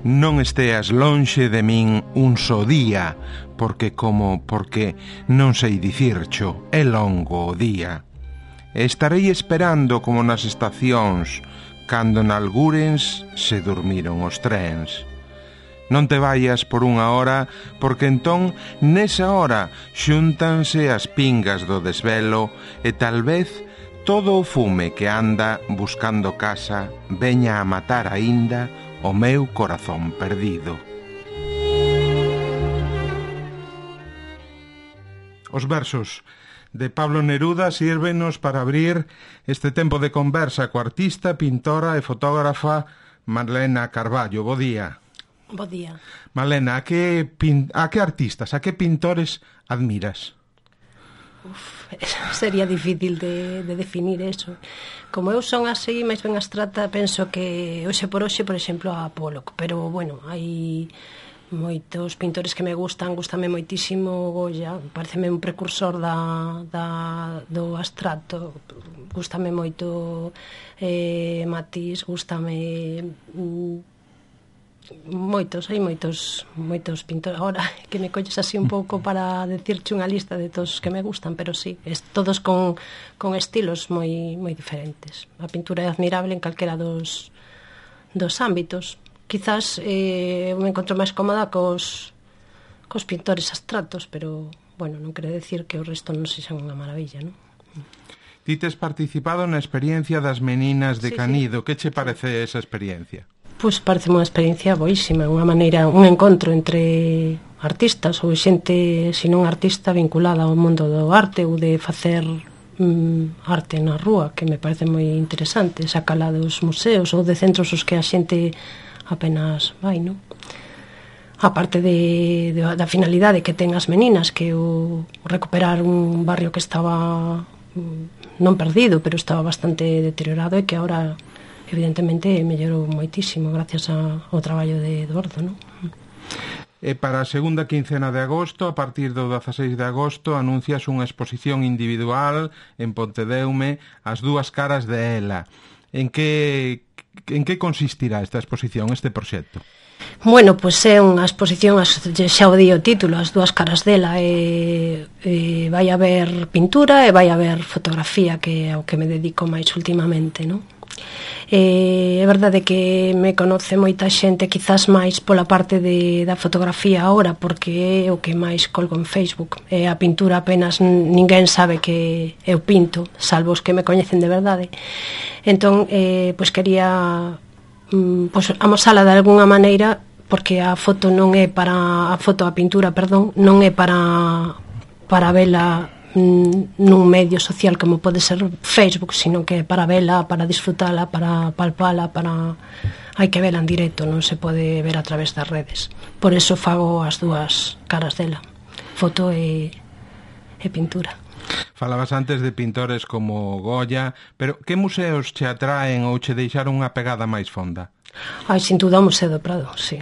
non esteas lonxe de min un só día, porque non sei dicircho, é longo o día. Estarei esperando como nas estacións, cando nalgúrens se durmiron os trens. Non te vayas por unha hora, porque entón, nesa hora, xúntanse as pingas do desvelo e tal vez todo o fume que anda buscando casa veña a matar aínda o meu corazón perdido. Os versos de Pablo Neruda sírvenos para abrir este tempo de conversa coa artista, pintora e fotógrafa Marlena Carballo. Bo día. Bo día. Marlena, a que artistas, a que pintores admiras? Sería difícil de definir eso. Como eu son así, máis ben abstracta, penso que hoxe, por exemplo, a Pollock, pero, bueno, hai moitos pintores que me gustame moitísimo Goya, pareceme un precursor do abstracto, gustame moito Matisse, gustame hai moitos pintores. Ahora que me colles así un pouco para decirche unha lista de todos que me gustan, pero sí, todos con estilos moi diferentes. A pintura é admirable en calquera dos ámbitos. Quizás me encontro máis cómoda cos pintores abstractos, pero, bueno, non quere decir que o resto non sexan unha maravilla, non? Ti tes participado na experiencia das meninas de Canido. Que che parece esa experiencia? Pois parece unha experiencia boísima, unha maneira, un encontro entre artistas ou xente, se non artista, vinculada ao mundo do arte ou de facer arte na rúa, que me parece moi interesante, sacala dos museos ou de centros os que a xente apenas vai, non? A parte da finalidade que ten as meninas, que o recuperar un barrio que estaba non perdido, pero estaba bastante deteriorado e que agora evidentemente mellorou moitísimo gracias ao traballo de Eduardo, non? E para a segunda quincena de agosto, a partir do 16 de agosto, anuncias unha exposición individual en Pontedeume, As dúas caras de ela. En que consistirá esta exposición, este proxecto? Bueno, pois é unha exposición, xa o di o título, As dúas caras dela, e vai haber pintura e vai haber fotografía, que é ao que me dedico máis ultimamente, non? É verdade que me conoce moita xente, quizás máis pola parte da fotografía agora, porque é o que máis colgo en Facebook. E a pintura apenas ninguén sabe que eu pinto, salvo os que me coñecen de verdade. Entón, pois quería amosala de alguna maneira, porque a pintura non é para vela nun medio social como pode ser Facebook, sino que é para vela, para disfrutala, para palpala, hai que vela en directo, non se pode ver a través das redes. Por eso fago as dúas caras dela, foto e pintura. Falabas antes de pintores como Goya, pero que museos che atraen ou che deixaron unha pegada máis fonda? Sin duda o Museo do Prado, sí,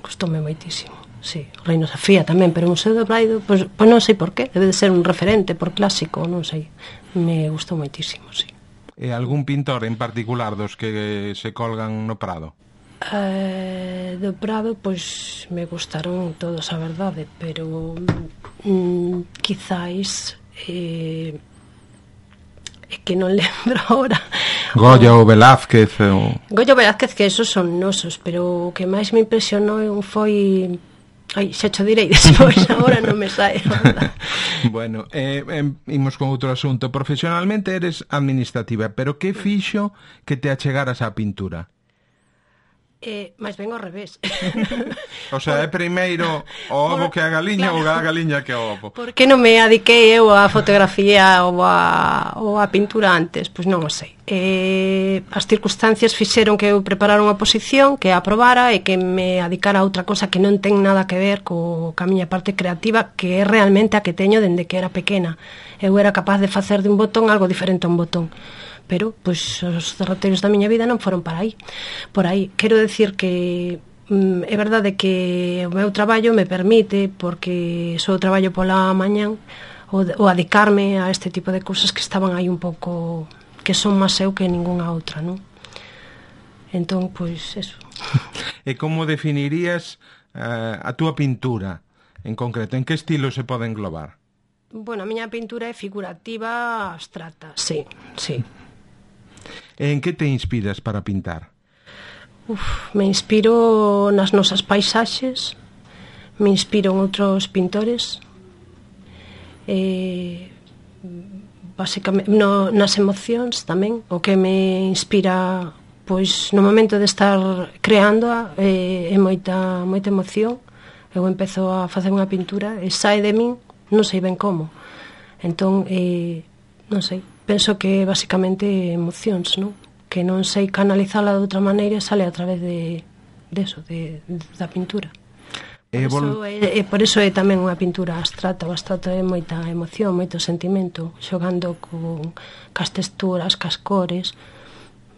gustoume moitísimo. Sí, o Reino Sofía tamén, pero o Museo do Prado, pois non sei por qué, debe de ser un referente por clásico, non sei, me gustou moitísimo, sí. E algún pintor en particular dos que se colgan no Prado? Do Prado, pois me gustaron todos, a verdade, pero quizáis é que non lembro agora. Goya ou Velázquez Goya ou Velázquez, que esos son nosos, pero o que máis me impresionou foi... xa cho direi despois, agora non me sae. Bueno, imos con outro asunto. Profesionalmente eres administrativa, pero que fixo que te achegaras á pintura? Máis ben ao revés. O sea, é primeiro o ovo que a galiña, ou a galiña que o ovo? Por que non me adiquei eu á fotografía ou á pintura antes? Pois non o sei. As circunstancias fixeron que eu preparara unha posición, que a aprobara e que me adicara a outra cosa que non ten nada que ver ca miña parte creativa, que é realmente a que teño dende que era pequena. Eu era capaz de facer de un botón algo diferente a un botón. Pero, pois, os derroteiros da miña vida non foron por aí. Quero decir que é verdade que o meu traballo me permite, porque só traballo pola mañán, o adicarme a este tipo de cousas que estaban aí un pouco, que son máis eu que ningunha outra, non? Entón, pois, eso. E como definirías a túa pintura en concreto? En que estilo se pode englobar? Bueno, a miña pintura é figurativa abstracta, sí. E en que te inspiras para pintar? Me inspiro nas nosas paisaxes, me inspiro en outros pintores, basicamente nas emocións tamén. O que me inspira, pois, no momento de estar creándoa é moita emoción. Eu empezo a facer unha pintura e sae de min, non sei ben como. Entón, non sei, penso que basicamente emocións, non? Que non sei canalizala de outra maneira, sale a través da pintura. Por iso é tamén unha pintura abstracta. O abstracto é moita emoción, moito sentimento, xogando cas texturas, cas cores.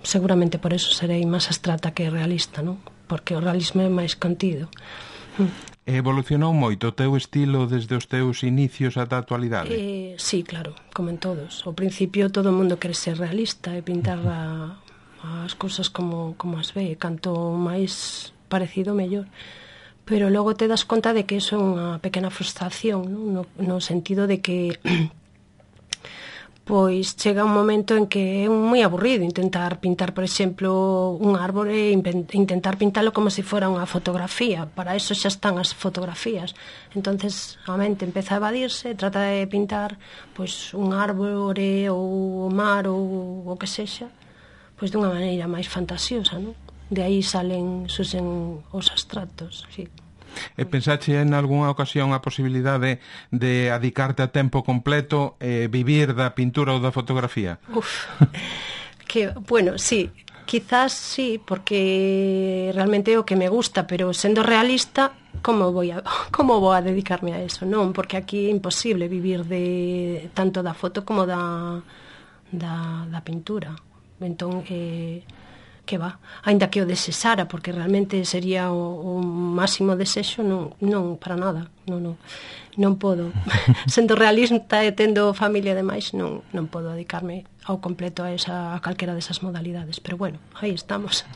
Seguramente por iso serei máis abstracta que realista, non? Porque o realismo é máis contido. Evolucionou moito o teu estilo desde os teus inicios ata a actualidade? Sí, claro, como en todos. Ao principio todo o mundo quere ser realista e pintar as cousas como as ve, canto máis parecido mellor. Pero logo te das conta de que iso é unha pequena frustración, non? No sentido de que pois chega un momento en que é moi aburrido intentar pintar, por exemplo, un árbore e intentar pintalo como se fora unha fotografía. Para eso xa están as fotografías. Entonces a mente empeza a evadirse, trata de pintar pois un árbore ou o mar ou o que sexa, pois dunha maneira máis fantasiosa, non? De aí surxen os abstractos, sí. E pensache en algunha ocasión a posibilidade de adicarte a tempo completo e vivir da pintura ou da fotografía? Bueno, sí, quizás sí, porque realmente é o que me gusta, pero sendo realista, como vou a dedicarme a eso? Non, porque aquí é imposible vivir de tanto da foto como da pintura. Entón, que va, aínda que o desexara, porque realmente sería o máximo desexo, non para nada, non podo. Sendo realista e tendo familia e demais, non podo dedicarme ao completo a calquera desas modalidades, pero bueno, aí estamos.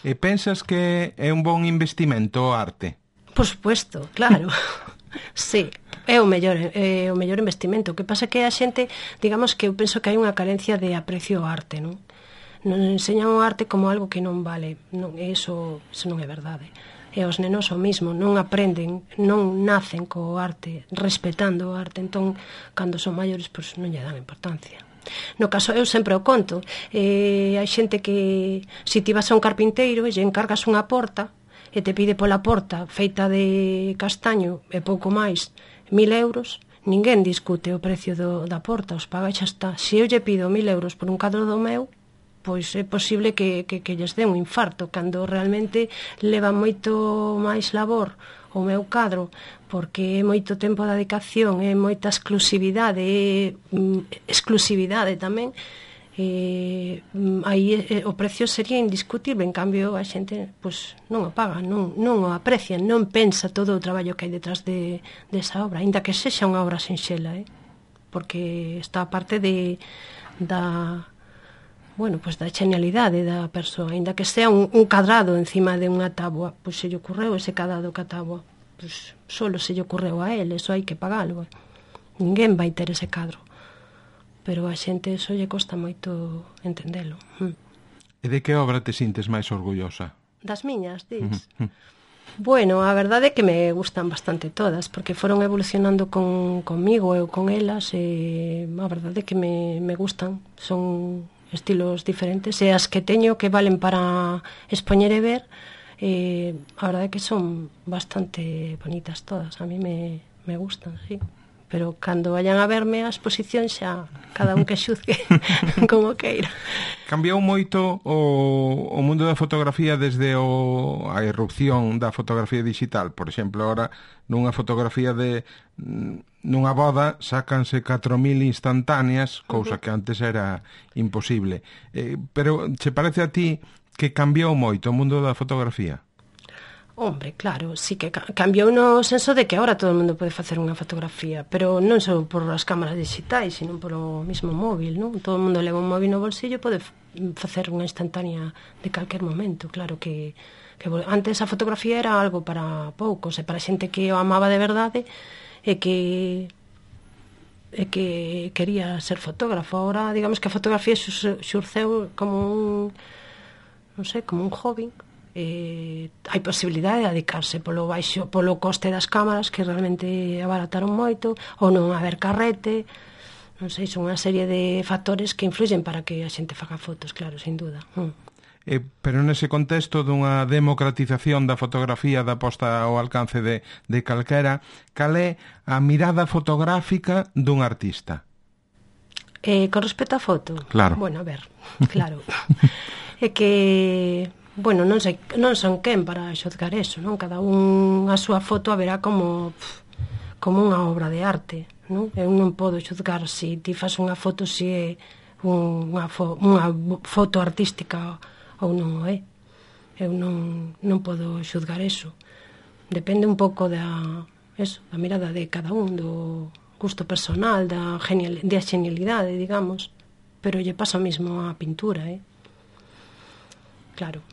E pensas que é un bon investimento o arte? Por supuesto, claro. Sí, é o mellor investimento. O que pasa é que a xente, digamos que eu penso que hai unha carencia de aprecio ao arte, non? Nos enseñan o arte como algo que non vale. Eso non é verdade. E os nenos o mismo, non aprenden, non nacen co arte, respetando o arte. Entón, cando son maiores, pois non lle dan importancia. No caso, eu sempre o conto. Hai xente que, se ti vas a un carpinteiro e lle encargas unha porta e te pide pola porta feita de castaño e pouco máis 1.000 euros, ninguén discute o precio da porta, os paga e xa está. Se eu lle pido 1.000 euros por un cadro do meu, pois é posible que lles dé un infarto, cando realmente leva moito máis labor o meu cadro, porque é moito tempo de dedicación, é moita exclusividade tamén. Aí o precio sería indiscutible, en cambio a xente pois non o paga, non o aprecia, non pensa todo o traballo que hai detrás desa obra, aínda que sexa unha obra sinxela, porque está a parte da genialidade da persoa, aínda que sea un cadrado encima de unha táboa, pois se lle ocurreu ese cadrado ca táboa, pois solo se lle ocurreu a él, eso hai que pagalo. Ninguén vai ter ese cadro, pero a xente eso lle costa moito entendelo. E de que obra te sintes máis orgullosa? Das miñas, dis? Bueno, a verdade é que me gustan bastante todas, porque foron evolucionando conmigo e con elas, e a verdade é que me gustan, son estilos diferentes, e as que teño que valen para expoñer e ver, a verdade é que son bastante bonitas todas, a mí me gustan, sí. Pero cando vayan a verme a exposición xa cada un que xuzgue como queira. Cambiou moito o mundo da fotografía desde a irrupción da fotografía digital. Por exemplo, ahora nunha fotografía nunha boda sácanse 4.000 instantáneas, cousa que antes era imposible. Pero che parece a ti que cambiou moito o mundo da fotografía? Hombre, claro, sí que cambiou no senso de que agora todo o mundo pode facer unha fotografía, pero non só por as cámaras digitais, sino por o mismo móvil, non? Todo o mundo leva un móvil no bolsillo e pode facer unha instantánea de calquer momento. Claro que antes a fotografía era algo para poucos, e para xente que o amaba de verdade e que quería ser fotógrafo. Ahora, digamos que a fotografía xurceu como un, non sei, como un hobby. Hai posibilidade de dedicarse polo coste das cámaras, que realmente abarataron moito, ou non haber carrete, non sei, son unha serie de factores que influyen para que a xente faga fotos, claro, sin duda. Pero nese contexto dunha democratización da fotografía da posta ao alcance de calquera, cal é a mirada fotográfica dun artista? Con respecto á foto? Claro. Bueno, a ver, claro. É que... Bueno, non son quen para xozgar eso, non? Cada un a súa foto a verá como unha obra de arte, non? Eu non podo xozgar se ti fas unha foto se é unha foto artística ou non o é. Eu non podo xozgar eso. Depende un pouco da mirada de cada un, do gusto personal, da genialidade, digamos, pero lle pasa o mismo á pintura, Claro.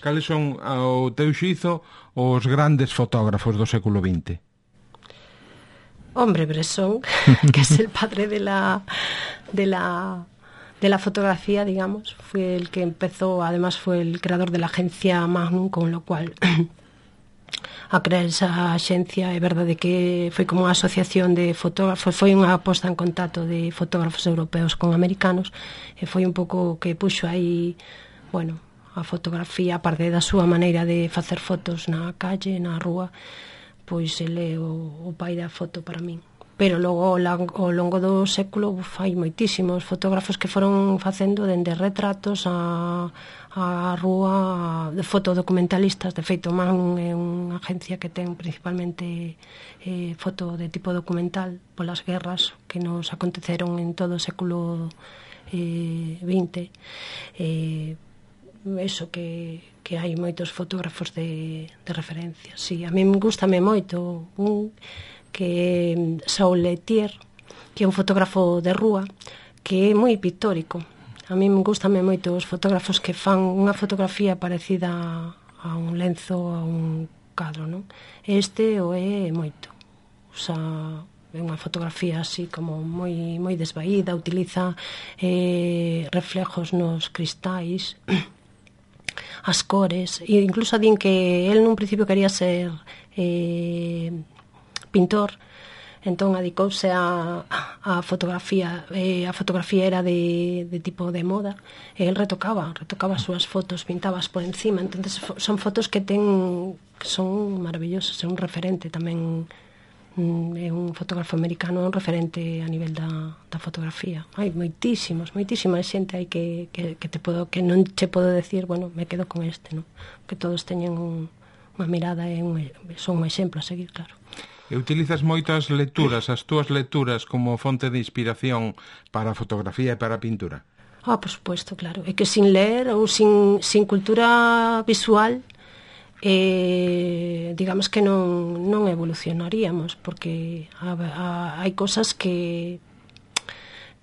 Cales son, ao teu xizo, os grandes fotógrafos do século XX? Hombre, Bresson, que es el padre de la fotografía, digamos, fue el que empezó, además fue el creador de la agencia Magnum, con lo cual a crear esa axencia é verdade que foi como unha asociación de fotógrafos, foi unha posta en contacto de fotógrafos europeos con americanos, e foi un pouco que puxo aí, bueno, a fotografía, aparte da súa maneira de facer fotos na calle, na rúa, pois ele é o pai da foto para min. Pero logo, ao longo do século, hai moitísimos fotógrafos que foron facendo dende retratos a rúa, de fotodocumentalistas. De feito, Magnum é unha agencia que ten principalmente foto de tipo documental polas guerras que nos aconteceron en todo o século XX. Eso que hai moitos fotógrafos de referencia. Sí, a mí gustame moito un que é Saul Letier, que é un fotógrafo de rúa que é moi pictórico. A mí gustame moito os fotógrafos que fan unha fotografía parecida a un lenzo, a un cadro, non? Este o é moito. É unha fotografía así como moi desvaída, utiliza reflejos nos cristais, as cores, e incluso din que el nun principio quería ser pintor, entón adicouse a fotografía. A fotografía era de tipo de moda, e el retocaba as súas fotos, pintabas por encima. Entonces son fotos que son maravillosas, é un referente tamén, é un fotógrafo americano, un referente a nivel da fotografía. Hai moitísima xente aí que non che podo decir, bueno, me quedo con este, non? Que todos teñen unha mirada e son un exemplo a seguir, claro. E utilizas moitas lecturas, as túas lecturas, como fonte de inspiración para a fotografía e para a pintura? Por suposto, claro. É que sin ler ou sin cultura visual, digamos que non evolucionaríamos, porque hai cosas que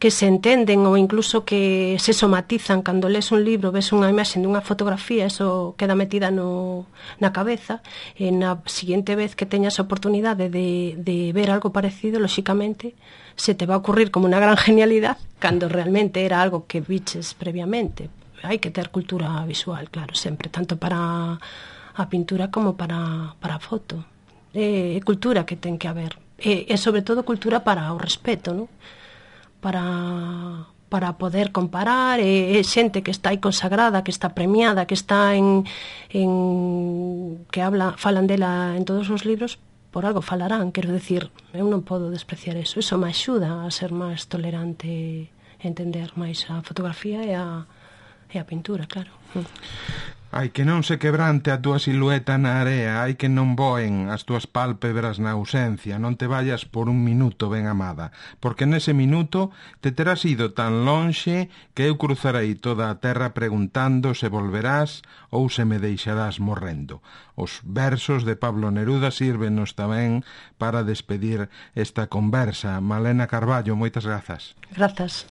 se entenden ou incluso que se somatizan cando lees un libro, ves unha imaxe dunha fotografía, eso queda metida na cabeza, e na seguinte vez que teñas a oportunidade de ver algo parecido, lóxicamente se te va a ocurrir como unha gran genialidad cando realmente era algo que viches previamente. Hai que ter cultura visual, claro, sempre, tanto para a pintura como para a foto. É cultura que ten que haber, e sobre todo cultura para o respeto, non? Para poder comparar, xente que está aí consagrada, que está premiada, que está falan dela en todos os libros, por algo falarán, quero decir, eu non podo despreciar eso me axuda a ser máis tolerante, a entender máis a fotografía e a pintura, claro. Ai que non se quebrante a túa silueta na area, ai que non voen as túas pálpebras na ausencia, non te vayas por un minuto, ben amada, porque nese minuto te terás ido tan lonxe que eu cruzarei toda a terra preguntando se volverás ou se me deixarás morrendo. Os versos de Pablo Neruda sírvenos tamén para despedir esta conversa. Malena Carballo, moitas grazas. Grazas.